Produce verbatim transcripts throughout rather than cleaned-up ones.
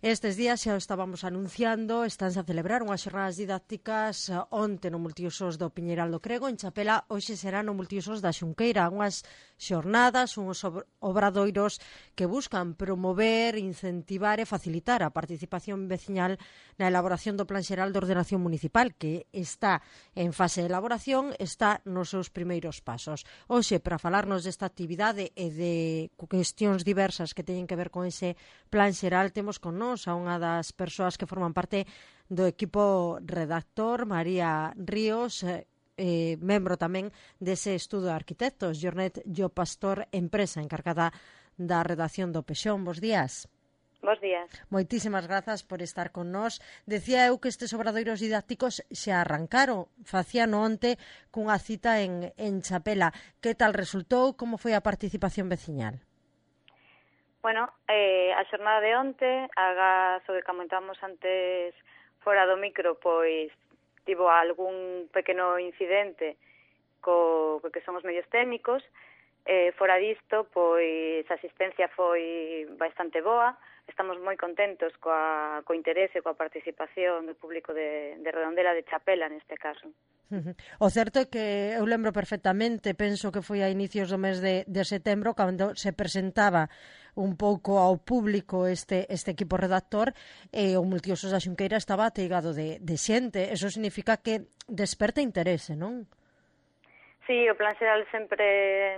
Estes días xa o estábamos anunciando, estánse a celebrar unhas xornadas didácticas onte no multiusos do Piñeiral do Crego, en Chapela, hoxe será no multiusos da Xunqueira, unhas xornadas, uns obradoiros que buscan promover, incentivar e facilitar a participación veciñal na elaboración do Plan Xeral de Ordenación Municipal, que está en fase de elaboración, está nos seus primeiros pasos. Hoxe, para falarnos desta actividade e de cuestións diversas que teñen que ver con ese Plan Xeral, temos con nós a unha das persoas que forman parte do equipo redactor, María Ríos, eh, membro tamén dese estudo de arquitectos, Jornet Llo Pastor, empresa encargada da redacción do Pexón. Bos días. Bos días. Moitísimas grazas por estar con nós. Decía eu que estes obradoiros didácticos xa arrancaron, facíano onte cunha cita en, en Chapela. Que tal resultou? Como foi a participación veciñal? Bueno, eh, a xornada de onte, agás o que comentamos antes fora do micro, pois tivo algún pequeno incidente co, co que son os medios técnicos. Eh, fora disto, pois a asistencia foi bastante boa. Estamos moi contentos coa, co interese, coa participación do público de, de Redondela, de Chapela, neste caso. O certo é que eu lembro perfectamente, penso que foi a inicios do mes de, de setembro, cando se presentaba un pouco ao público este, este equipo redactor, e o multiusos da Xunqueira estaba ateigado de, de xente. Eso significa que desperta interese, non? Sí, o Plan Xeral sempre,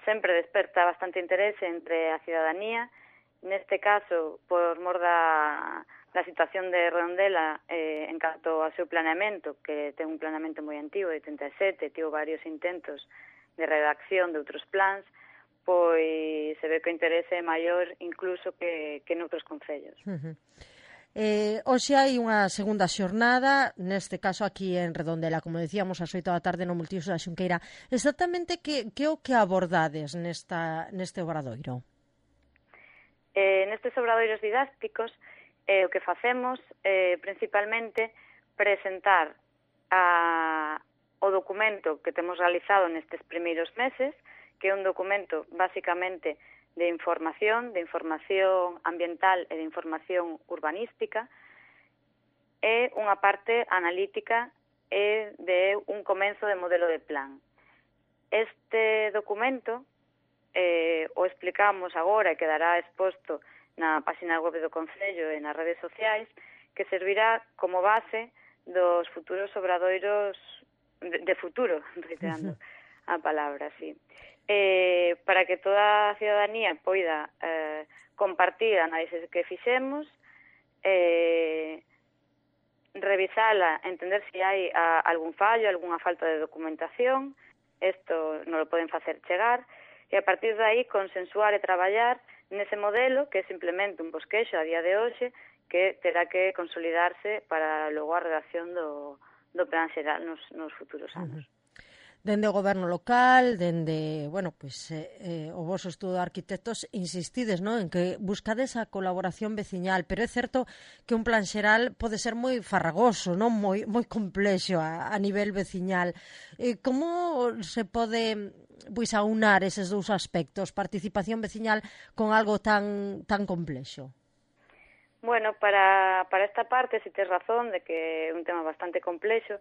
sempre desperta bastante interese entre a cidadanía. Neste caso, por mor da, da situación de Redondela, eh, en canto ao seu planeamento, que ten un planeamento moi antigo, de oitenta e sete, tivo varios intentos de redacción de outros plans, pois se ve que o interese é maior incluso que, que noutros concellos. Uh-huh. Eh, hoxe hai unha segunda xornada, neste caso aquí en Redondela, como decíamos, ás oito da tarde no multiusos da Xunqueira. Exactamente que, que o que abordades nesta, neste obradoiro? Eh, nestes obradoiros didácticos, eh, o que facemos é eh, principalmente presentar a, o documento que temos realizado nestes primeiros meses, que é un documento basicamente de información, de información ambiental e de información urbanística, e unha parte analítica e de un comenzo de modelo de plan. Este documento eh, o explicamos agora e quedará exposto na página web do Concello e nas redes sociais, que servirá como base dos futuros obradoiros de, de futuro, reiterando a palabra, sí. Eh, para que toda a cidadanía poida eh, compartir a análisis que fixemos, eh, revisala, entender se hai a, algún fallo, algunha falta de documentación, isto non lo poden facer chegar, e a partir de aí consensuar e traballar nese modelo que é simplemente un bosquexo a día de hoxe que terá que consolidarse para logo a redacción do, do Plan Xeral nos, nos futuros anos. Uh-huh. Dende o goberno local, dende, bueno, pues, eh, eh, o vosso estudo de arquitectos, insistides, ¿no?, en que buscades a colaboración veciñal, pero é certo que un plan xeral pode ser moi farragoso, non moi moi complexo a, a nivel veciñal. Eh, como se pode pois aunar eses dous aspectos, participación veciñal con algo tan tan complexo? Bueno, para, para esta parte, si tes razón de que é un tema bastante complexo,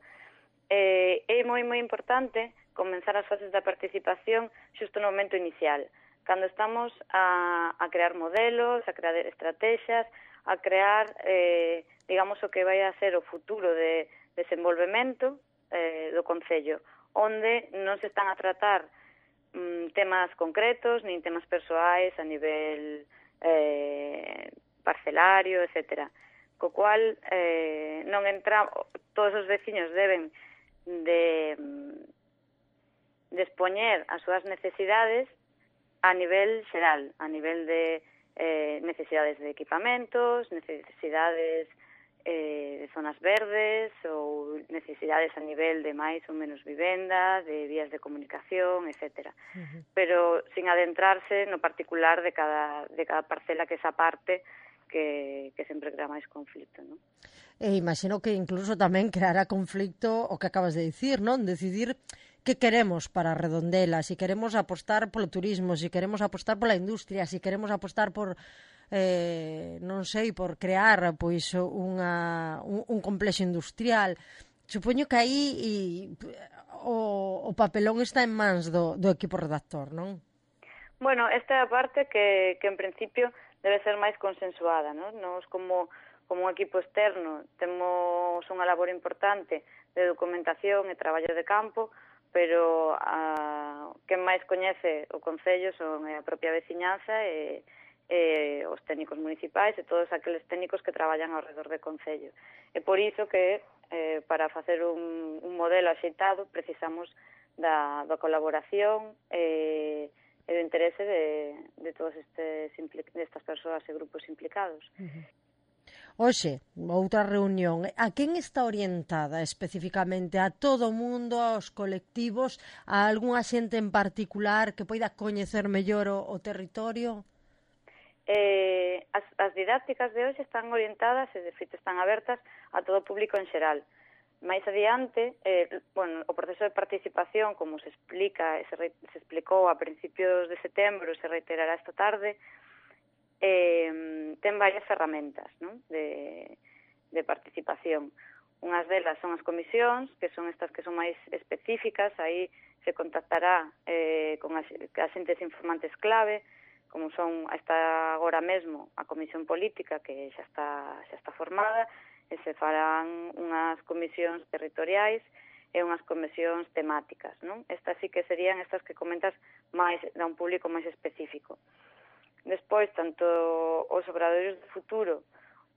Eh, é moi moi importante comenzar as fases da participación xusto no momento inicial, cando estamos a, a crear modelos, a crear estrategias, a crear, eh, digamos, o que vai a ser o futuro de desenvolvemento eh, do Concello, onde non se están a tratar mm, temas concretos, nin temas persoais a nivel eh, parcelario, etcétera. Co cual, eh, non entra, todos os veciños deben de, de expoñer as súas necesidades a nivel xeral, a nivel de eh, necesidades de equipamentos, necesidades eh, de zonas verdes ou necesidades a nivel de máis ou menos vivenda, de vías de comunicación, etcétera. Uh-huh. Pero sin adentrarse no particular de cada, de cada parcela que esa parte que, que sempre crea máis conflito, non? E imagino que incluso tamén creará conflicto o que acabas de dicir, non? Decidir que queremos para Redondela, si queremos apostar polo turismo, si queremos apostar pola industria, si queremos apostar por eh, non sei, por crear pois unha, un, un complexo industrial. Supoño que aí e, o, o papelón está en mans do, do equipo redactor, non? Bueno, esta é a parte que, que en principio debe ser máis consensuada, non? Nos como, como un equipo externo temos unha labor importante de documentación e traballo de campo, pero a, quen máis coñece o Concello son a propia veciñanza e, e os técnicos municipais e todos aqueles técnicos que traballan ao redor do Concello. E por iso que eh, para facer un, un modelo axeitado precisamos da, da colaboración e, e do interese de, de todas estes, destas persoas e grupos implicados. Uh-huh. Oxe, outra reunión. A quen está orientada especificamente? A todo o mundo, aos colectivos, a algunha xente en particular que poida coñecer mellor o, o territorio? Eh, as, as didácticas de hoxe están orientadas e, de feito, están abertas a todo o público en xeral. Mais adiante, eh, bueno, o proceso de participación, como se explica, se, re, se explicou a principios de setembro, se reiterará esta tarde, eh, ten varias ferramentas, non? De, de participación. Unhas delas son as comisións, que son estas que son máis específicas, aí se contactará eh, con as, as entes informantes clave, como son hasta agora mesmo a Comisión Política, que xa está, xa está formada, e se farán unhas comisións territoriais e unhas comisións temáticas, non? Estas sí que serían estas que comentas máis da un público máis específico. Despois, tanto os obradoiros de futuro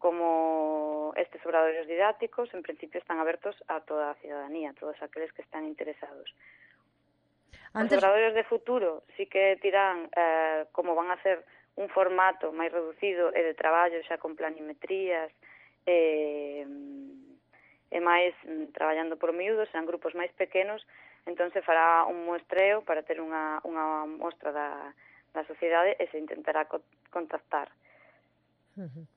como estes obradoiros didácticos, en principio están abertos a toda a ciudadanía, a todos aqueles que están interesados. Antes... Os obradoiros de futuro sí que tirán, eh, como van a ser un formato máis reducido e de traballo xa con planimetrías e, e máis traballando por miúdos, serán grupos máis pequenos, entón se fará un muestreo para ter unha, unha mostra da, da sociedade e se intentará co contactar. Uh-huh.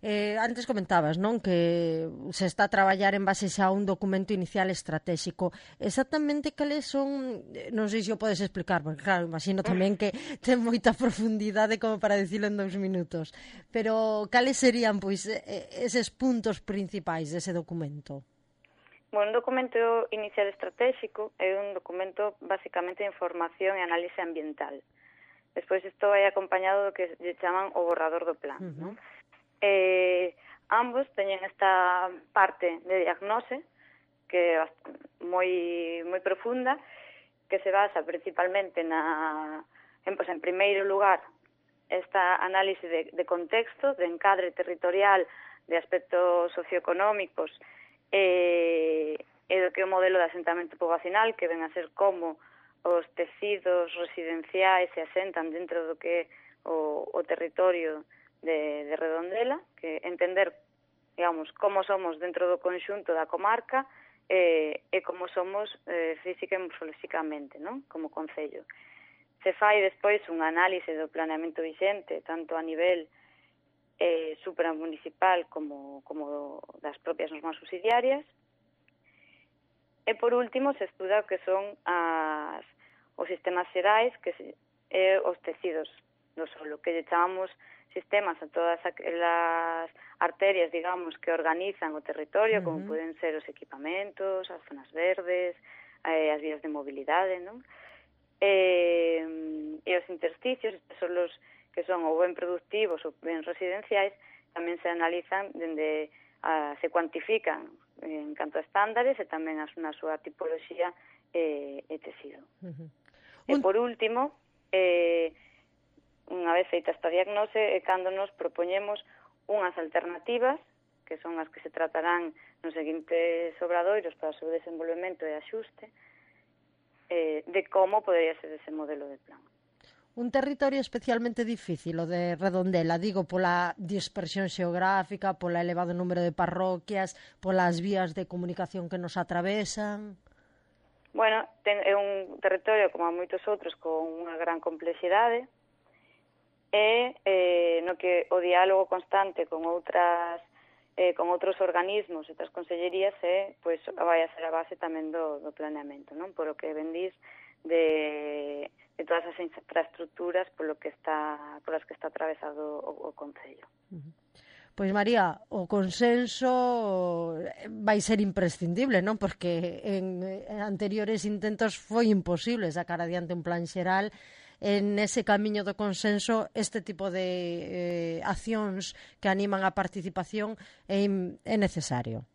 Eh, antes comentabas, non, que se está a traballar en base xa a un documento inicial estratégico. Exactamente cales son, non sei se o podes explicar, porque claro, imagino tamén que ten moita profundidade como para dicilo en dous minutos, pero cales serían, pois, eses puntos principais dese documento? Bueno, un documento inicial estratégico é un documento basicamente de información e análise ambiental. Despois isto vai acompañado do que lle chaman o borrador do plan, uh-huh. non? Eh, ambos teñen esta parte de diagnose que é moi moi profunda, que se basa principalmente na en, pues, en primeiro lugar esta análise de, de contexto, de encadre territorial, de aspectos socioeconómicos e, e do que é o modelo de asentamento poboacional, que ven a ser como os tecidos residenciais se asentan dentro do que é o, o territorio De, de Redondela, que entender, digamos, como somos dentro do conxunto da comarca e, e como somos eh, física e morfolóxicamente, non? Como concello. Se fai despois un análise do planeamento vixente, tanto a nivel eh, supramunicipal como, como das propias normas subsidiarias. E, por último, se estuda o que son as, os sistemas xerais que se, e os tecidos do solo, que lle chamamos sistemas a todas as arterias, digamos, que organizan o territorio, uh-huh. como poden ser os equipamentos, as zonas verdes, eh, as vías de mobilidade, non? E, e os intersticios, estes son os que son ou ben productivos ou ben residenciais, tamén se analizan dende a, se cuantifican en canto a estándares e tamén a, na súa tipoloxía e, e tecido. Uh-huh. E por último, eh, unha vez feita esta diagnose, é cando nos propoñemos unhas alternativas, que son as que se tratarán nos seguintes obradoiros para o seu desenvolvemento e axuste, eh, de como podería ser ese modelo de plan. Un territorio especialmente difícil, o de Redondela, digo, pola dispersión xeográfica, pola elevado número de parroquias, polas vías de comunicación que nos atravesan... Bueno, ten, é un territorio, como moitos outros, con unha gran complexidade, e eh, no que o diálogo constante con outras eh, con outros organismos e outras consellerías é, pois, vai a ser a base tamén do, do planeamento, non? Por o que vendís de, e todas as infraestructuras polo que está, polas que está atravesado o, o Concello. Pois, María, o consenso vai ser imprescindible, non? Porque en anteriores intentos foi imposible sacar adiante un plan xeral. En ese camiño do consenso, este tipo de eh, accións que animan a participación é, é necesario.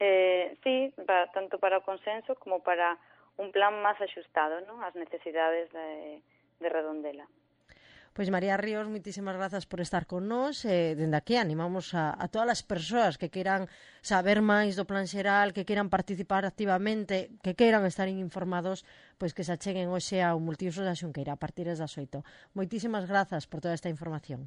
Eh, sí, para, tanto para o consenso como para un plan máis axustado, non, ás necesidades de, de Redondela. Pois María Ríos, moitísimas grazas por estar con nós. Eh, dende aquí animamos a, a todas as persoas que queiran saber máis do plan xeral, que queiran participar activamente, que queiran estar informados, pois que se acheguen hoxe ao Multiusos da Xunqueira a partir das oito. Moitísimas grazas por toda esta información.